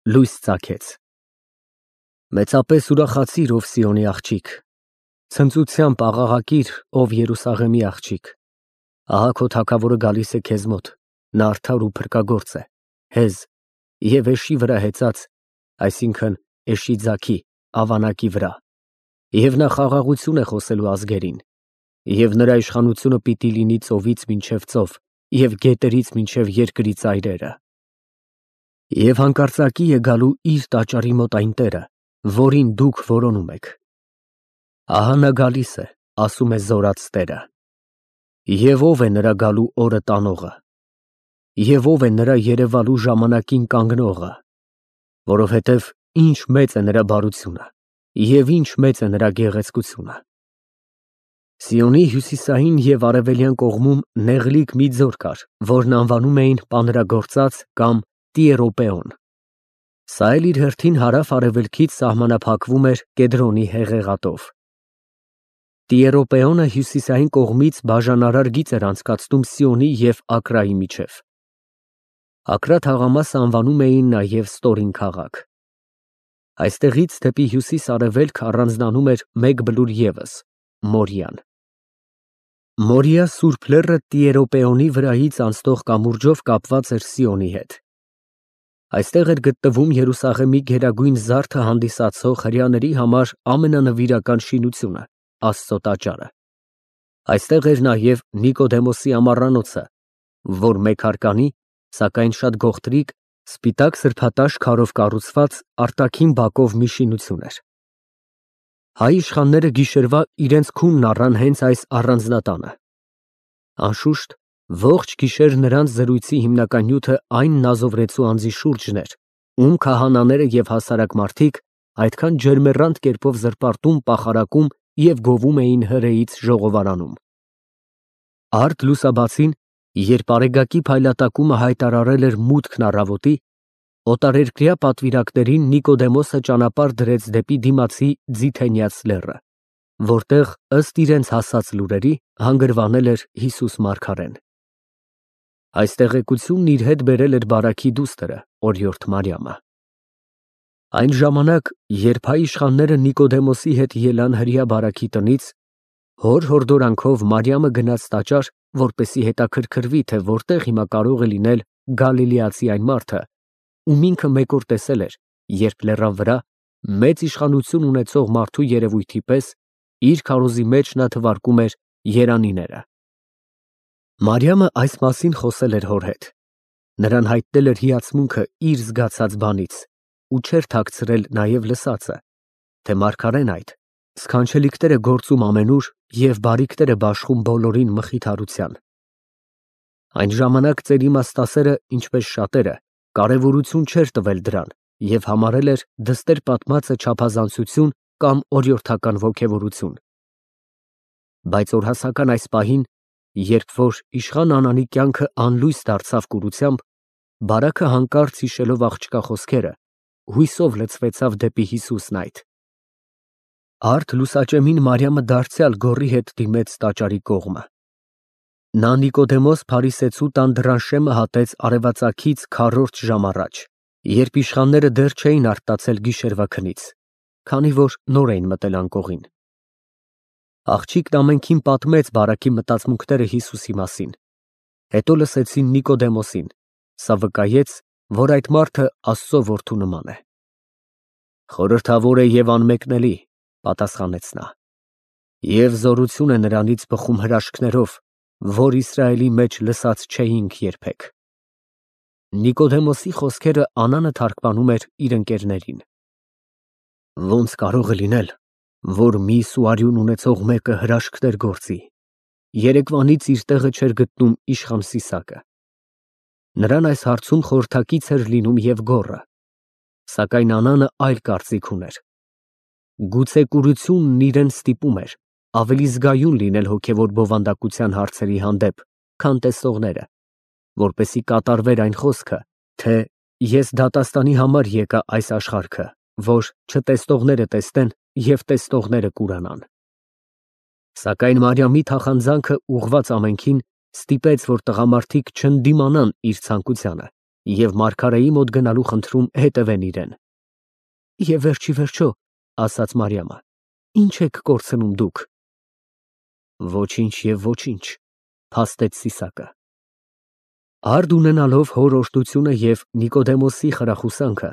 լույս ծագեց։ Մեծապես ուրախացիր, ով Սիոնի աղջիկ, ցնծությամբ աղաղակիր, ով Երուսաղեմի աղջիկ։ Ահա քո թագավորը գալիս է քեզ մոտ, նա արդար ու փրկագործ է, հեզ և էշի վրա հեծած, այսինքն էշի ձագի, ավանակի վրա, և նա խաղաղություն է խոսելու ազգերին, և նրա իշխանությունը պիտի լինի ծովից մինչև ծով և գետերից մինչև երկրի ծայրերը։ Եվ հանկարծակի է գալու իր տաճարի մոտ այն տերը, որին դուք որոնում եք։ Ահա նա գալիս է, ասում է զորաց Տերը։ Եվ ով է նրա գալու օրը տանողը, և ով է նրա երևալու ժամանակին կանգնողը, որովհետև ինչ մեծ է նրա բարությունը, և ինչ մեծ է նրա գեղեցկությունը։ Սիոնի հյուսիսային և արևելյան կողմում նեղլիկ մի ձոր կար, որն անվանում էին Պանրագործած կամ Տիերոպեոն։ Սա էլ իր հերթին հարավ֊արևելքից սահմանափակվում էր Կեդրոնի հեղեղատով։ Տիերոպեոնը հյուսիսային կողմից բաժանարար գիծ էր անցկացնում Սիոնի և Ակրայի միջև։ Ակրա թաղամասը անվանում էին նաև Ստորին քաղաք։ Այստեղից դեպի հյուսիս֊արևելք առանձնանում էր մեկ բլուր ևս՝ Մորիան։ Մորիա Սուրբ լեռը Տիերոպեոնի վրայից անցնող կամուրջով կապված էր Սիոնի հետ։ Այստեղ էր գտնվում Երուսաղեմի գերագույն զարդը հանդիսացող հրեաների համար ամենանվիրական շինությունը՝ Աստծո տաճարը։ Այստեղ էր նաև Նիկոդեմոսի ամառանոցը, որ մեկհարկանի, սակայն շատ գողտրիկ, սպիտակ սրբատաշ քարով կառուցված արտաքին բակով մի շինություն էր։ Հայ իշխանները գիշերվա իրենց քունն առան հենց այս առանձնատանը։ Անշուշտ, ողջ գիշեր նրանց զրույցի հիմնական նյութը այն նազովրեցու անձի շուրջն էր, ում քահանաները և հասարակ մարդիկ այդքան ջերմեռանդ կերպով զրպարտում, պախարակում և գովում էին հրեից ժողովարանում։ Արդ լուսաբացին, երբ արեգակի փայլատակումը հայտարարել էր մուտքն առավոտի, օտարերկրյա պատվիրակներին Նիկոդեմոսը ճանապարհ դրեց դեպի դիմացի Ձիթենյաց լեռը, որտեղ, ըստ իրենց հասած լուրերի, հանգրվանել էր Հիսուս մարգարեն։ Այս տեղեկությունն իր հետ բերել էր բարաքի դուստրը, օրիորդ Մարիամը։ Այն ժամանակ, երբ հայ իշխանները Նիկոդեմոսի հետ ելան հրեա բարաքի տնից, հոր հորդորանքով Մարիամը գնաց տաճար, որպեսզի հետաքրքրվի, թե որտեղ հիմա կարող է լինել Գալիլեացի այն մարդը, ում ինքը մեկ օր տեսել էր, երբ լեռան վրա, մեծ իշխանություն ունեցող մարդու երևույթի պես, իր քարոզի մեջ նա թվարկում էր երանիները։ Մարիամը այս մասին խոսել էր հոր հետ։ Նրան հայտնել էր հիացմունքը իր զգացած բանից ու չէր թաքցրել նաև լսածը, թե մարգարեն այդ սքանչելիքներ է գործում ամենուր և բարիքներ է բաշխում բոլորին մխիթարության։ Այն ժամանակ ծեր իմաստասերը, ինչպես շատերը, կարևորություն չէր տվել դրան և համարել էր դստեր պատմածը չափազանցություն կամ օրիորդական ոգևորություն։ Բայց օրհասական այս պահին, երբ որ իշխան Անանի կյանքը անլույս դարձավ կուրությամբ, բարաքը հանկարծ հիշելով աղջկա խոսքերը, հույսով լցվեցավ դեպի Հիսուսն այդ։ Արդ լուսաճեմին Մարիամը դարձյալ գոռի հետ դիմեց տաճարի կողմը։ Նա Նիկոդեմոս Փարիսեցու տան դռան հատեց արևածագից քառորդ ժամ առաջ, երբ իշխանները դեռ չէին արթնացել գիշերվա քնից, քանի որ նոր էին մտել անկողին։ Աղջիկն ամենքին պատմեց բարաքի մտածմունքները Հիսուսի մասին։ Հետո լսեցին Նիկոդեմոսին, սա վկայեց, որ այդ մարդը Աստծո որդու նման է։ Խորհրդավոր է և անմեկնելի, պատասխանեց նա, և զորություն է նրանից բխում հրաշքներով, որ Իսրայելի մեջ լսած չէինք երբեք։ Նիկոդեմոսի խոսքերը Անանը թարգմանում էր իր ընկերներին։ Ոնց կարող է լինել, որ միս ու արյուն ունեցող մեկը հրաշքներ գործի։ Երեկվանից իր տեղը չէր գտնում իշխան Սիսակը։ Նրան այս հարցում խորհրդակից էր լինում և գոռը, սակայն Անանը այլ կարծիք ուներ։ Գուցե կուրությունն իրեն ստիպում էր ավելի զգայուն լինել հոգևոր բովանդակության հարցերի հանդեպ, քան տեսնողները, որպեսզի կատարվեր այն խոսքը, թե ես դատաստանի համար եկա այս աշխարհքը, որ չտեսնողները տեսնեն և տեսնողները կուրանան։ Սակայն Մարիամի թախանձանքը ուղղված ամենքին ստիպեց, որ տղամարդիկ չընդդիմանան իր ցանկությանը և մարգարեի մոտ գնալու խնդրում հետևեն իրեն։ Եվ վերջի վերջո, ասաց Մարիամը, ի՞նչ եք կորցնում դուք։ Ոչինչ և ոչինչ, փաստեց Սիսակը։ Արդ ունենալով հոր օրհնությունը և Նիկոդեմոսի խրախուսանքը,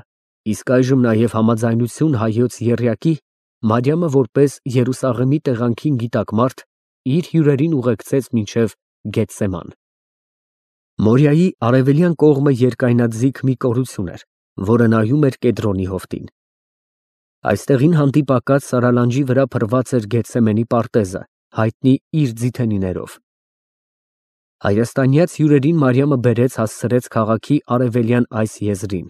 իսկ այժմ նաև համաձայնություն հայոց եռյակի, Մարիամը որպես Երուսաղեմի տեղանքին գիտակ մարդ իր հյուրերին ուղեկցեց մինչև Գեթսեման։ Մորիայի արևելյան կողմը երկայնաձիգ մի կորություն էր, որը նայում էր Կեդրոնի հովտին։ Այստեղին հանդիպակաց սարալանջի վրա փռված էր Գեթսեմենի պարտեզը, հայտնի իր ձիթենիներով։ Հայաստանյաց հյուրերին Մարիամը բերեց հասցրեց քաղաքի արևելյան այս եզրին,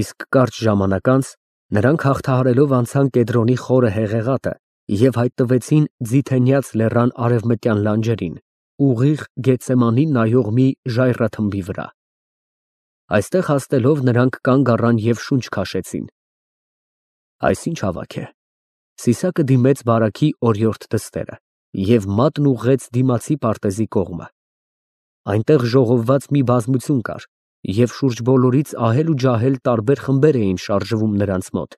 իսկ կարճ ժամանակ անց նրանք հաղթահարելով անցան Կեդրոնի խորը հեղեղատը և հայտնվեցին Ձիթենյաց լեռան արևմտյան լանջերին, ուղիղ Գեթսեմանին նայող մի ժայռաթմբի վրա։ Այստեղ հասնելով նրանք կանգ առան և շունչ քաշեցին։ Այս ինչ ավագ է։ Սիսակը դիմեց բարաքի օրիորդ դստերը և մատն ուղղեց դիմացի պարտեզի կողմը։ Այնտեղ ժողովված մի բազմություն կար, և շուրջ բոլորից ահել ու ջահել տարբեր խմբեր էին շարժվում նրանց մոտ։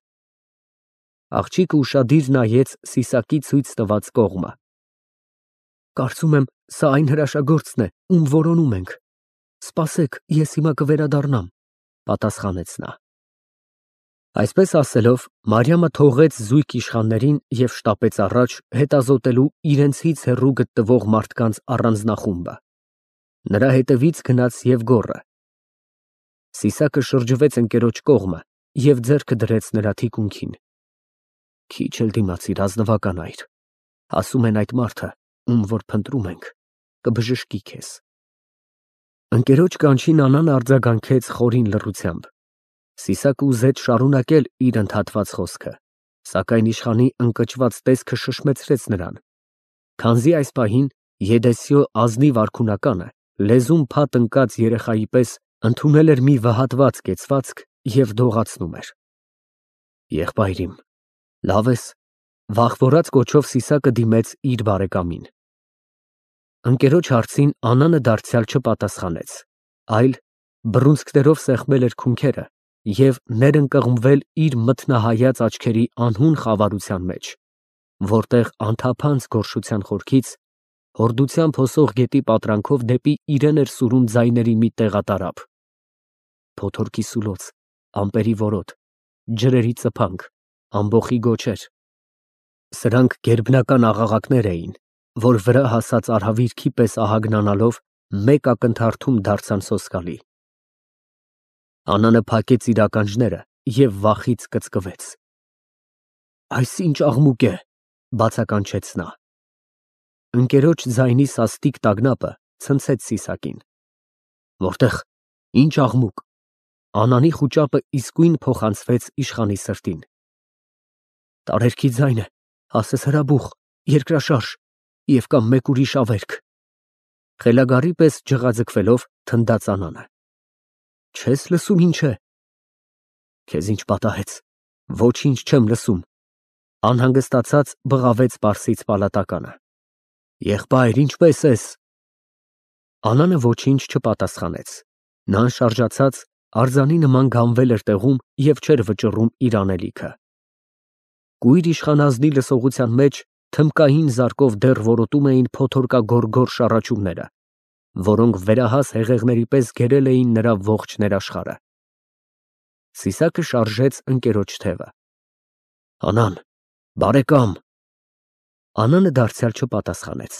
Աղջիկը ուշադիր նայեց Սիսակի ցույց տված կողմը։ Կարծում եմ, սա այն հրաշագործն է, ում որոնում ենք։ Սպասեք, ես հիմա կվերադառնամ, պատասխանեց նա։ Այսպես ասելով, Մարիամը թողեց զույգ իշխաններին և շտապեց առաջ, հետազոտելու իրենցից հեռու գտնվող մարդկանց առանձնախումբը։ Նրա հետևից գնաց և գոռը։ Սիսակը շրջվեց ընկերոջ կողմը և ձեռքը դրեց նրա թիկունքին։ Քիչ էլ դիմացիր, ազնվական այր, ասում են այդ մարդը, ում որ փնտրում ենք, կբժշկի քեզ։ Ընկերոջ կանչին Անան արձագանքեց խորին լռությամբ։ Սիսակը ուզեց շարունակել իր ընդհատված խոսքը, սակայն իշխանի ընկճված տեսքը շշմեցրեց նրան, քանզի այս պահին Եդեսիո ազնիվ արքունականը լեզուն փատ ընկած երեխայի պես ընդունել էր մի վհատված կեցվածք և դողացնում էր։ Եղբայրիմ, լավ ես, վախվորած կոչով Սիսակը դիմեց իր բարեկամին։ Ընկերոջ հարցին Անանը դարձյալ չպատասխանեց, այլ բռունցքներով սեղմել էր քունքերը և ներընկղմվել իր մթնահայաց աչքերի անհուն խավարության մեջ, որտեղ անթափանց գորշության խորքից հորդությամբ հոսող գետի պատրանքով դեպի իրեն էր սուրում ձայների մի տեղատարափ. փոթորկի սուլոց, ամպերի որոտ, ջրերի ծփանք, ամբոխի գոչեր։ Սրանք գերբնական աղաղակներ էին, որ վրա հասած արհավիրքի պես ահագնանալով մեկ ակնթարթում դարձան սոսկալի։ Անանը փակեց իր ականջները և վախից կծկվեց։ Այս ինչ աղմուկ է, բացականչեց նա։ Ընկերոջ ձայնի սաստիկ տագնապը ցնցեց Սիսակին։ Որտեղ, ինչ աղմուկ։ Անանի խուճապը իսկույն փոխանցվեց իշխանի սրտին։ Տարերքի ձայն է, ասես հրաբուխ, երկրաշարժ և կամ մեկ ուրիշ ավերք։ Խելագարի պես ջղաձգվելով թնդաց Անանը։ Չես լսում ինչ է։ Քեզ ինչ պատահեց։ Ոչինչ չեմ լսում, անհանգստացած բղավեց պարսից պալատականը։ Եղբայր, ինչպե՞ս ես։ Անանը ոչինչ չպատասխանեց։ Նա անշարժացած արձանի նման գանվել էր տեղում և չէր վճռում իր անելիքը։ Կույր իշխանազնի լսողության մեջ թմկային զարկով դեռ որոտում էին փոթորկագորգոր շառաչումները, որոնք վերահաս հեղեղների պես գերել էին նրա ողջ ներաշխարհը։ Սիսակը շարժեց ընկերոջ թևը։ Անան, բարեկամ։ Անանը դարձյալ չպատասխանեց։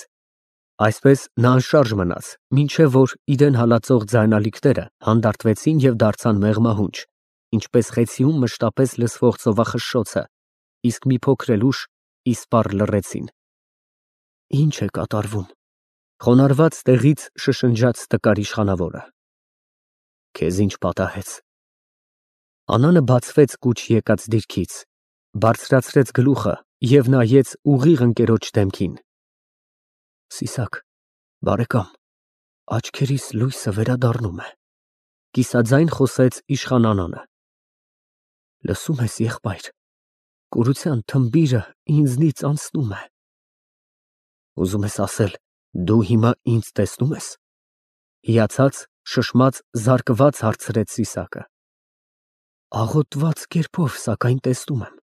Այսպես նա անշարժ մնաց, մինչև որ իրեն հալածող ձայնալիքները հանդարտվեցին և դարձան մեղմահունչ, ինչպես խեցիում մշտապես լսվող ծովախշշոցը, իսկ մի փոքր էլ ուշ իսպառ լռեցին։ Ինչ է կատարվում, խոնարհված տեղից շշնջաց տկար իշխանավորը։ Քեզ ինչ պատահեց։ Անանը բացվեց կուչ եկած դիրքից, բարձրացրեց գլուխը և նայեց ուղիղ ընկերոջ դեմքին։ Սիսակ, բարեկամ, աչքերիս լույսը վերադառնում է, կիսաձայն խոսեց իշխան Անանը։ Լսում ես, եղբայր, կուրության թմբիրը ինձնից անցնում է։ Ուզում ես ասել, դու հիմա ինձ տեսնում ես։ Հիացած Շշմած, զարկված հարցրեց Սիսակը։ Աղոտված կերպով, սակայն տեսնում եմ։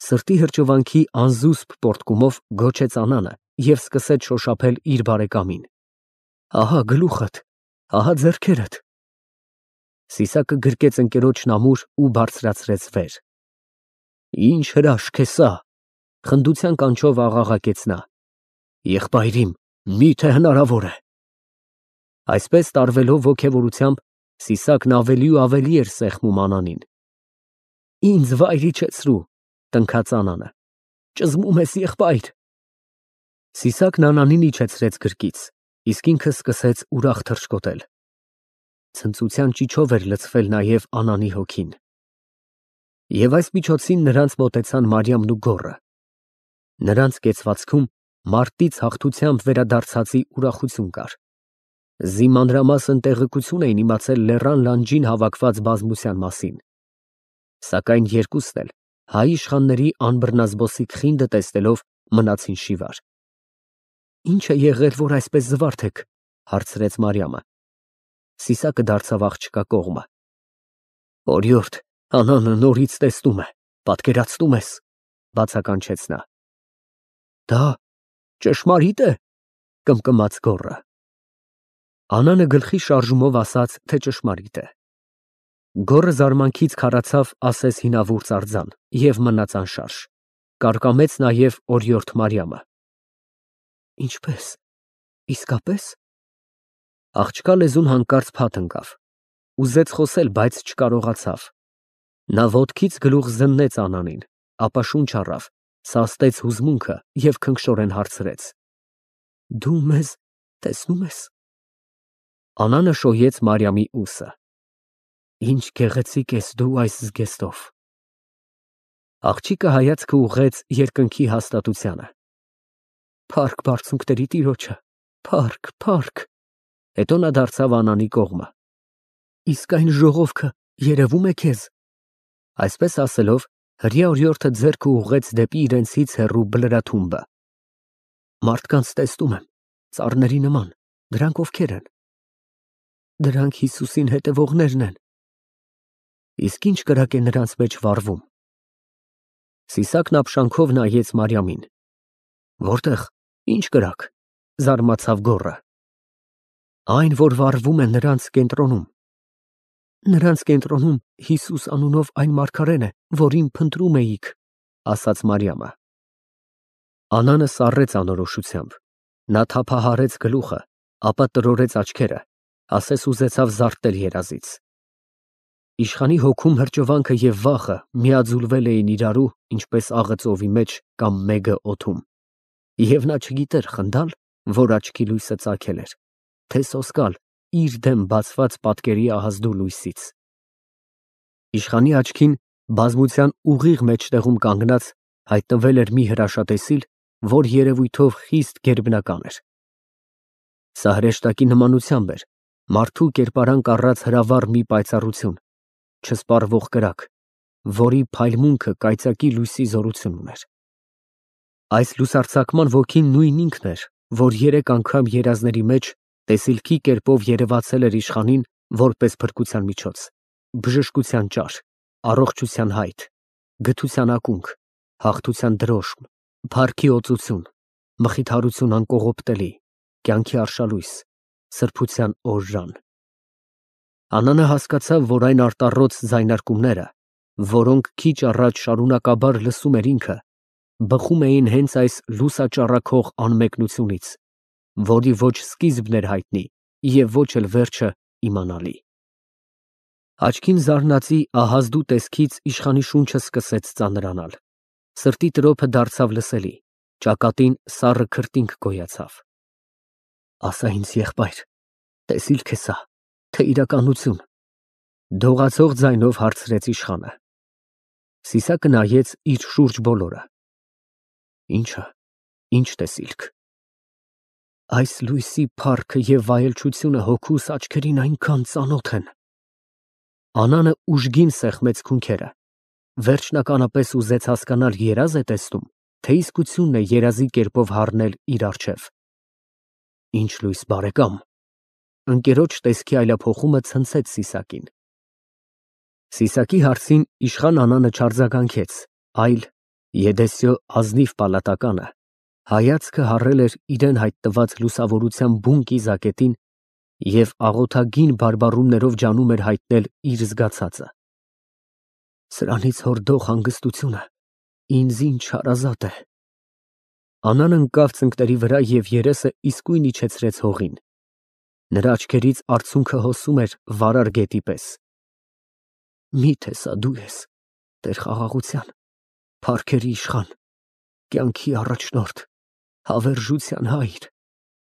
Սրտի հրճվանքի անզուսպ պոռթկումով գոչեց Անանը և սկսեց շոշափել իր բարեկամին։ Ահա գլուխդ, ահա ձեռքերդ։ Սիսակը գրկեց ընկերոջն ամուր ու բարձրացրեց վեր։ Ինչ հրաշք է սա, խնդության կանչով աղաղակեց նա։ Եղբայրիմ, միթե հնարավոր է։ Այսպես տարվելով ոգևորությամբ, Սիսակն ավելի ու ավելի էր սեղմում Անանին։ Ինձ վայր իջեցրու, տնքաց Անանը։ Ճզմում ես, եղբայր։ Սիսակն Անանին իջեցրեց գրկից, իսկ ինքը սկսեց ուրախ թռչկոտել։ Ցնծության ճիչով էր լցվել նաև Անանի հոգին։ Եվ այս միջոցին նրանց մոտեցան Մարիամն ու գոռը։ Նրանց կեցվածքում մարտից հաղթությամբ վերադարձածի ուրախություն կար։ Զիմանրամասն տեղեկություն էին իմացել լեռան լանջին հավաքված բազմության մասին։ Սակայն երկուսն էլ հայ իշխանների անբռնազբոսիկ խինդը տեսնելով մնացին շիվար։ Ինչ է եղել, որ այսպես զվարթ եք, հարցրեց Մարիամը։ Սիսակը դարձավ աղջկա կողմը։ Օրիորդ, Անանը նորից տեսնում է, պատկերացնում ես, բացականչեց նա։ Դա ճշմարիտ է, կմկմաց գոռը։ Անանը գլխի շարժումով ասաց, թե ճշմարիտ է։ Գոռը զարմանքից քարացավ, ասես հինավուրց արձան, և մնաց անշարժ։ Կարկամեց նաև օրիորդ Մարիամը։ Ինչպե՞ս, իսկապես։ Աղջկա լեզուն հանկարծ փաթ ընկավ։ Ուզեց խոսել, բայց չկարողացավ։ Նա ոտքից գլուխ զննեց Անանին, ապա շունչ առավ, սաստեց հուզմունքը և քնքշորեն հարցրեց. Դու մեզ տեսնում ես։ Անանը շոյեց Մարիամի ուսը։ Ինչ գեղեցիկ ես դու այս զգեստով։ Աղջիկը հայացքը ուղղեց երկնքի հաստատությանը։ Փառք բարձունքների Տիրոջը, փառք, փառք։ Հետո նա դարձավ Անանի կողմը։ Իսկ այն ժողովքը երևում է քեզ։ Այսպես ասելով, հրեա օրիորդը ձեռքը ուղղեց դեպի իրենցից հեռու բլրաթումբը։ Մարդկանց տեսնում եմ, ծառների նման, դրանք ովքեր են։ Դրանք Հիսուսին հետևողներն են։ Իսկ ինչ կրակ է նրանց մեջ վառվում։ Սիսակն ապշանքով նայեց Մարիամին։ Որտեղ, ինչ կրակ, զարմացավ գոռը։ Այն, որ վառվում է նրանց կենտրոնում։ Նրանց կենտրոնում Հիսուս անունով այն մարգարեն է, որին փնտրում էիք, ասաց Մարիամը։ Անանը սառեց անորոշությամբ։ Նա թափահարեց գլուխը, ապա տրորեց աչքերը, ասես ուզեցավ զարթնել երազից։ Իշխանի հոգում հրճվանքը և վախը միաձուլվել էին իրարու, ինչպես աղը ծովի մեջ կամ մեգը օդում։ Եվ նա չգիտեր խնդալ, որ աչքի լույսը ծագել էր, թե սոսկալ իր դեմ բացված պատկերի ահազդու լույսից։ Իշխանի աչքին բազմության ուղիղ մեջտեղում կանգնած հայտնվել էր մի հրաշատեսիլ, որ երևույթով խիստ գերբնական էր։ Սա հրեշտակի նմանությամբ էր, մարդու կերպարանք առած հրավառ մի պայծառություն, չսպառվող կրակ, որի փայլմունքը կայծակի լույսի զորություն ուներ։ Այս լուսարձակման ոգին նույն ինքն էր, որ 3 անգամ երազների մեջ տեսիլքի կերպով երևացել էր իշխանին որպես փրկության միջոց, բժշկության ճար, առողջության հայտ, գթության ակունք, հաղթության դրոշմ, փառքի օծություն, մխիթարություն անկողոպտելի, կյանքի արշալույս, սրբության օժան։ Անանը հասկացավ, որ այն արտառոց ձայնարկումները, որոնք քիչ առաջ շարունակաբար լսում էր ինքը, բխում էին հենց այս լուսաճառաքող անմեկնությունից, որի ոչ սկիզբն էր հայտնի և ոչ էլ վերջը իմանալի։ Աչքին զարնածի ահազդու տեսքից իշխանի շունչը սկսեց ծանրանալ, սրտի տրոփը դարձավ լսելի, ճակատին սառը քրտինք գոյացավ։ Ասա ինձ, եղբայր, տեսիլք է սա, թե իրականություն, դողացող ձայնով հարցրեց իշխանը։ Սիսակը նայեց իր շուրջ բոլորը։ Ինչը, ինչ տեսիլք։ Այս լույսի փառքը և վայելչությունը հոգուս աչքերին այնքան ծանոթ են։ Անանը ուժգին սեղմեց քունքերը, վերջնականապես ուզեց հասկանալ երազ է տեսնում, թե իսկությունն է երազի կերպով հառնել իր առջև։ Ինչ լույս, բարեկամ, ընկերոջ տեսքի այլափոխումը ցնցեց Սիսակին։ Սիսակի հարցին իշխան Անանը չարձագանքեց, այլ Եդեսիո ազնիվ պալատականը հայացքը հառել էր իրեն հայտնված լուսավորության բուն կիզակետին և աղոթագին բարբառումներով ջանում էր հայտնել իր զգացածը։ Սրանից հորդող հանգստությունը ինձ ինչ հարազատ է։ Անան ընկավ ծնկների վրա և երեսը իսկույն իջեցրեց հողին։ Նրա աչքերից արցունքը հոսում էր վարար գետի պես։ Միթե սա դու ես, Տեր խաղաղության, փառքերի իշխան, կյանքի առաջնորդ, հավերժության հայր,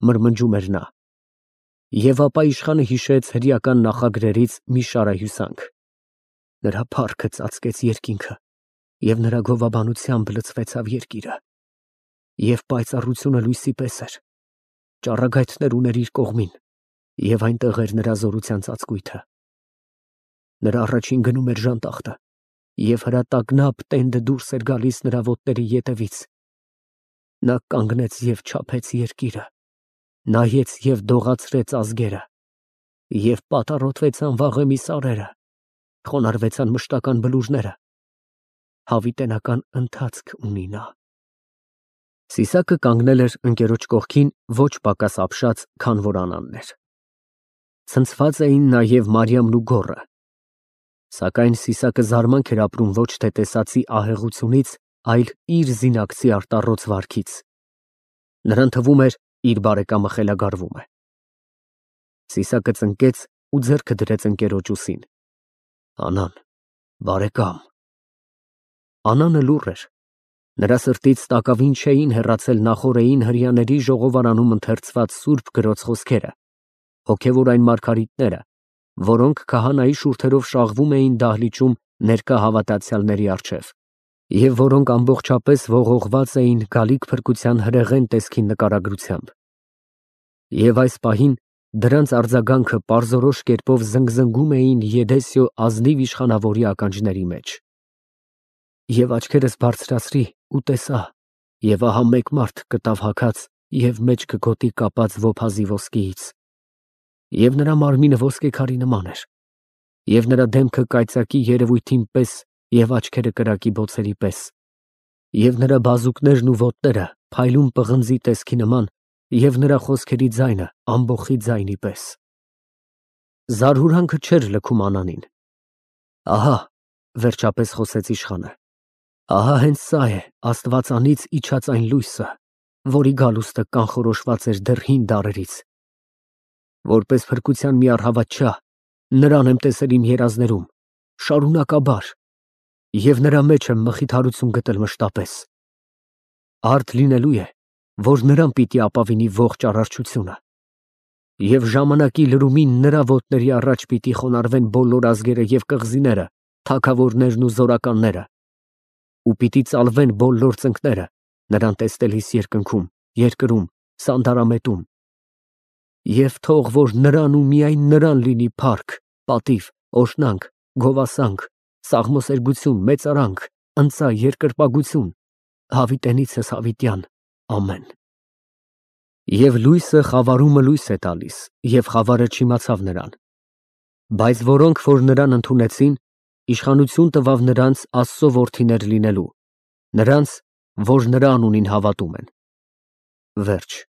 մրմնջում էր նա։ Եվ ապա իշխանը հիշեց հրեական նախագրերից մի շարահյուսանք. նրա փառքը ծածկեց երկինքը, և նրա գովաբանությամբ լցվեցավ երկիրը, և պայծառությունը լույսի պես էր, ճառագայթներ ուներ իր կողմին, և այնտեղ էր նրա զորության ծածկույթը։ Նրա առաջին գնում էր ժանտախտը, և հրատակնապ տենդը դուրս էր գալիս նրա ոտների ետևից։ Նա կանգնեց և չափեց երկիրը, նայեց և դողացրեց ազգերը, և պատառոտվեցան վաղեմի սարերը, խոնարհվեցան մշտական բլուրները, հավիտենական ընթացք ունի նա։ Սիսակը կանգնել էր ընկերոջ կողքին ոչ պակաս ապշած, քան որ Անանն էր։ Ցնցված էին նաև Մարիամն ու գոռը։ Սակայն Սիսակը զարմանք էր ապրում ոչ թե տեսածի ահեղությունից, այլ իր զինակցի արտառոց վարքից։ Նրան թվում էր, իր բարեկամը խելագարվում է։ Սիսակը ծնկեց ու ձեռքը դրեց ընկերոջ ուսին։ Անան, բարեկամ։ Անանը լուռ էր։ Նրա սրտից տակավին չէին հեռացել նախօրեին հրեաների ժողովարանում ընթերցված սուրբ գրոց խոսքերը, հոգևոր այն մարգարիտները, որոնք քահանայի շուրթերով շաղվում էին դահլիճում ներկա հավատացյալների առջև, և որոնք ամբողջապես ողողված էին գալիք փրկության հրեղեն տեսքի նկարագրությամբ։ Եվ այս պահին դրանց արձագանքը պարզորոշ կերպով զնգզնգում էին Եդեսիո ազնիվ իշխանավորի ականջների մեջ։ Եվ աչքերս բարձրացրի ու տեսա, և ահա մեկ մարդ կտավ հագած և մեջքը գոտի կապած ոփազի ոսկիից, և նրա մարմինը ոսկեքարի նման էր, և նրա դեմքը կայծակի երևույթին պես և աչքերը կրակի բոցերի պես, և նրա բազուկներն ու ոտները փայլուն պղնձի տեսքի նման, և նրա խոսքերի ձայնը ամբոխի ձայնի պես։ Զարհուրանքը չէր լքում Անանին։ Ահա, վերջապես խոսեց իշխանը, ահա հենց սա է աստվածանից իջած այն լույսը, որի գալուստը կանխորոշված էր դեռ հին դարերից։ Որպես փրկության մի առհավատչա, նրան եմ տեսել իմ երազներում, շարունակաբար, և նրա մեջ եմ մխիթարություն գտել մշտապես։ Արդ լինելու է, որ նրան պիտի ապավինի ողջ արարչությունը, և ժամանակի լրումին նրա ոտների առաջ պիտի խոնարհվեն բոլոր ազգերը և կղզիները, թագավորներն ու զորականները, ու պիտի ծալվեն բոլոր ծնկները նրան տեսնելիս երկնքում, երկրում, սանդարամետում։ Եվ թող որ նրան ու միայն նրան լինի փառք, պատիվ, օրհնանք, գովասանք, սաղմոսերգություն, մեծարանք, ընծա, երկրպագություն, հավիտենիցս հավիտյան, ամեն։ Եվ լույսը խավարումը լույս է տալիս, և խավարը չիմացավ նրան։ Բայց որոնք որ նրան ընդունեցին, իշխանություն տվավ նրանց Աստծո որդիներ լինելու, նրանց, որ նրա անունին հավատում են։ Վերջ։